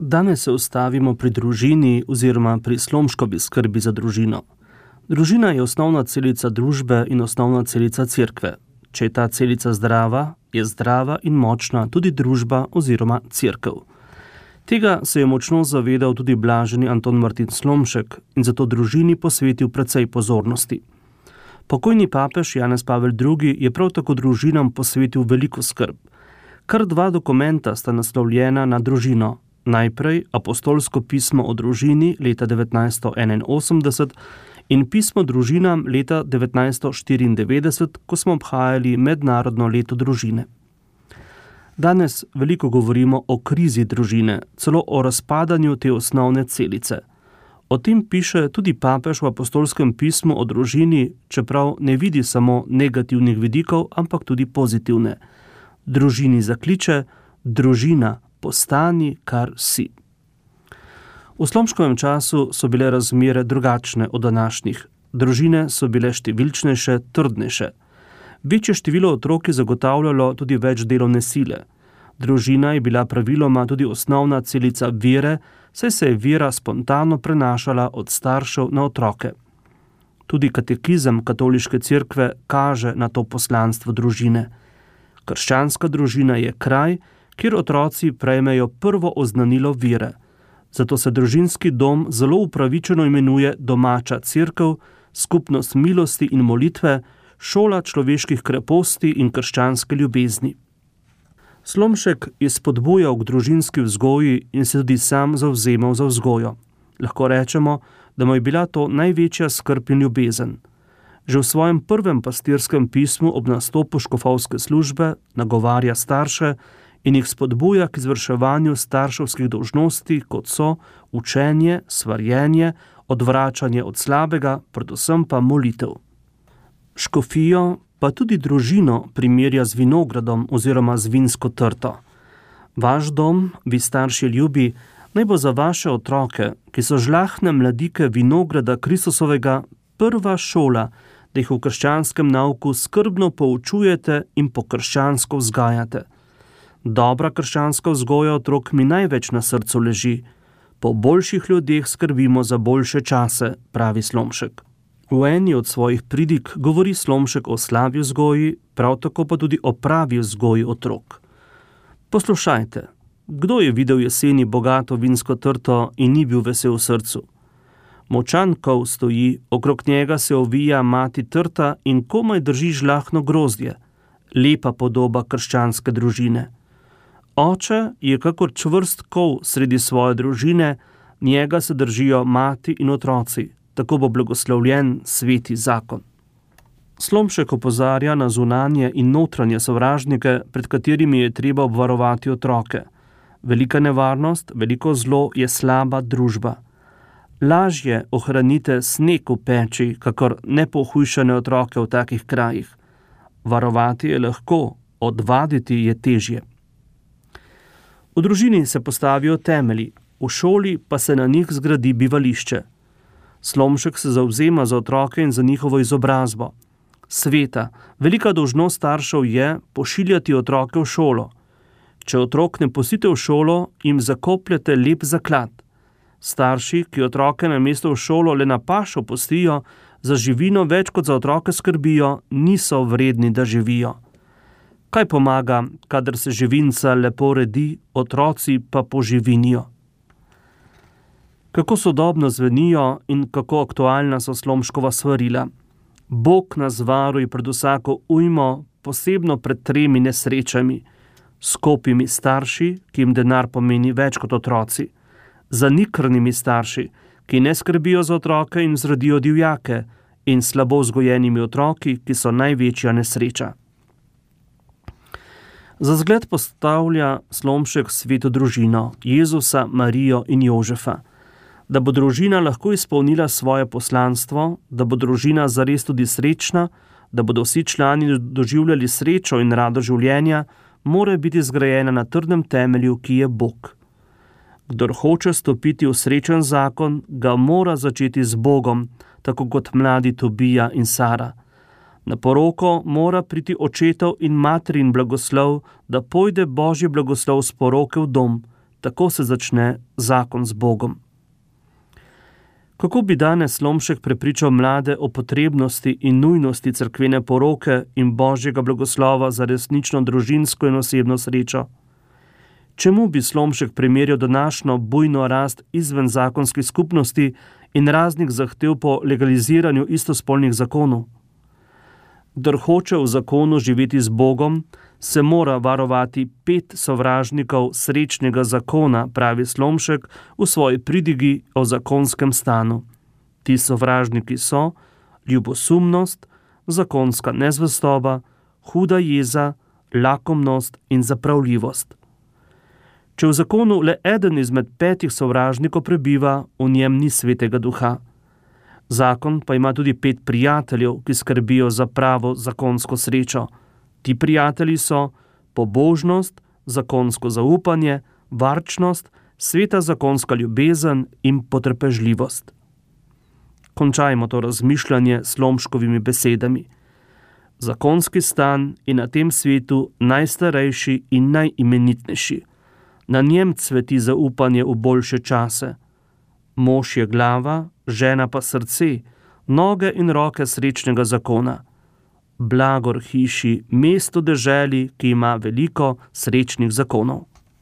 Danes se ustavimo pri družini oziroma pri Slomškovi skrbi za družino. Družina je osnovna celica družbe in osnovna celica cerkve. Če je ta celica zdrava, je zdrava in močna tudi družba oziroma cerkev. Tega se je močno zavedal tudi blaženi Anton Martin Slomšek in zato družini posvetil precej pozornosti. Pokojni papež Janez Pavel II. Je prav tako družinam posvetil veliko skrb. Kar 2 dokumenta sta naslovljena na družino. Najprej apostolsko pismo o družini leta 1981 in pismo družinam leta 1994, ko smo obhajali mednarodno leto družine. Danes veliko govorimo o krizi družine, celo o razpadanju te osnovne celice. O tem piše tudi papež v apostolskem pismu o družini, čeprav ne vidi samo negativnih vidikov, ampak tudi pozitivne. Družini zakliče: družina, postani, kar si. V Slomškovem času so bile razmere drugačne od današnjih. Družine so bile številčnejše, trdnejše. Večje število otrok je zagotavljalo tudi več delovne sile. Družina je bila praviloma tudi osnovna celica vere, saj se je vera spontano prenašala od staršev na otroke. Tudi katekizem katoliške cerkve kaže na to poslanstvo družine. Krščanska družina je kraj, kjer otroci prejmejo prvo oznanilo vere. Zato se družinski dom zelo upravičeno imenuje domača cerkev, skupnost milosti in molitve, šola človeških kreposti in krščanske ljubezni. Slomšek je spodbujal k družinski vzgoji in se tudi sam zavzemal za vzgojo. Lahko rečemo, da mu je bila to največja skrb in ljubezen. Že v svojem prvem pastirskem pismu ob nastopu škofovske službe nagovarja starše in jih spodbuja k izvrševanju starševskih dolžnosti, kot so učenje, svarjenje, odvračanje od slabega, predvsem pa molitev. Škofijo pa tudi družino primerja z vinogradom oziroma z vinsko trto. Vaš dom, vi starši ljubi, naj bo za vaše otroke, ki so žlahne mladike vinograda Kristusovega, prva šola, da jih v krščanskem nauku skrbno poučujete in po krščansko vzgajate. Dobra krščanska vzgoja otrok mi največ na srcu leži. Po boljših ljudeh skrbimo za boljše čase, pravi Slomšek. V eni od svojih pridig govori Slomšek o slabi vzgoji, prav tako pa tudi o pravi vzgoji otrok. Poslušajte, kdo je videl jeseni bogato vinsko trto in ni bil vesel v srcu? Močan kol stoji, okrog njega se ovija mati trta in komaj drži žlahno grozdje. Lepa podoba krščanske družine. Oče je kakor čvrst kol sredi svoje družine, njega se držijo mati in otroci. Tako bo blagoslovljen sveti zakon. Slomšek opozarja na zunanje in notranje sovražnike, pred katerimi je treba obvarovati otroke. Velika nevarnost, veliko zlo je slaba družba. Lažje ohranite sneg v peči, kakor nepohujšane otroke v takih krajih. Varovati je lahko, odvaditi je težje. V družini se postavijo temelji, v šoli pa se na njih zgradi bivališče. Slomšek se zavzema za otroke in za njihovo izobrazbo. Sveta, velika dolžnost staršev je pošiljati otroke v šolo. Če otrok ne pustite v šolo, jim zakopljete lep zaklad. Starši, ki otroke namesto v šolo le na pašo pustijo, za živino več kot za otroke skrbijo, niso vredni, da živijo. Kaj pomaga, kadar se živinca lepo redi, otroci pa poživinijo? Kako sodobno zvenijo in kako aktualna so Slomškova svarila. Bog nas varuje pred vsako ujmo, posebno pred 3 nesrečami. Skopimi starši, ki jim denar pomeni več kot otroci. Zanikrnimi starši, ki ne skrbijo za otroke in zrodijo divjake, in slabo vzgojenimi otroki, ki so največja nesreča. Za zgled postavlja Slomšek sveto družino, Jezusa, Marijo in Jožefa. Da bo družina lahko izpolnila svoje poslanstvo, da bo družina zares tudi srečna, da bodo vsi člani doživljali srečo in rado življenja, mora biti zgrajena na trdnem temelju, ki je Bog. Kdor hoče stopiti v srečen zakon, ga mora začeti z Bogom, tako kot mladi Tobija in Sara. Na poroko mora priti očetov in materin blagoslov, da pojde Božji blagoslov s poroke v dom, tako se začne zakon z Bogom. Kako bi danes Slomšek prepričal mlade o potrebnosti in nujnosti cerkvene poroke in Božjega blagoslova za resnično družinsko in osebno srečo? Čemu bi Slomšek primerjal današnjo bujno rast izven zakonskih skupnosti in raznih zahtev po legaliziranju istospolnih zakonov? Kdor hoče v zakonu živeti z Bogom, se mora varovati 5 sovražnikov srečnega zakona, pravi Slomšek v svoji pridigi o zakonskem stanu. Ti sovražniki so ljubosumnost, zakonska nezvestoba, huda jeza, lakomnost in zapravljivost. Če v zakonu le eden izmed 5 sovražnikov prebiva, v njem ni svetega duha. Zakon pa ima tudi 5 prijateljev, ki skrbijo za pravo zakonsko srečo. Ti prijatelji so pobožnost, zakonsko zaupanje, varčnost, sveta zakonska ljubezen in potrpežljivost. Končajmo to razmišljanje s Slomškovimi besedami. Zakonski stan je na tem svetu najstarejši in najimenitnejši. Na njem cveti zaupanje v boljše čase. Mož je glava, žena pa srce, noge in roke srečnega zakona. Blagor hiši, mesto deželi, ki ima veliko srečnih zakonov.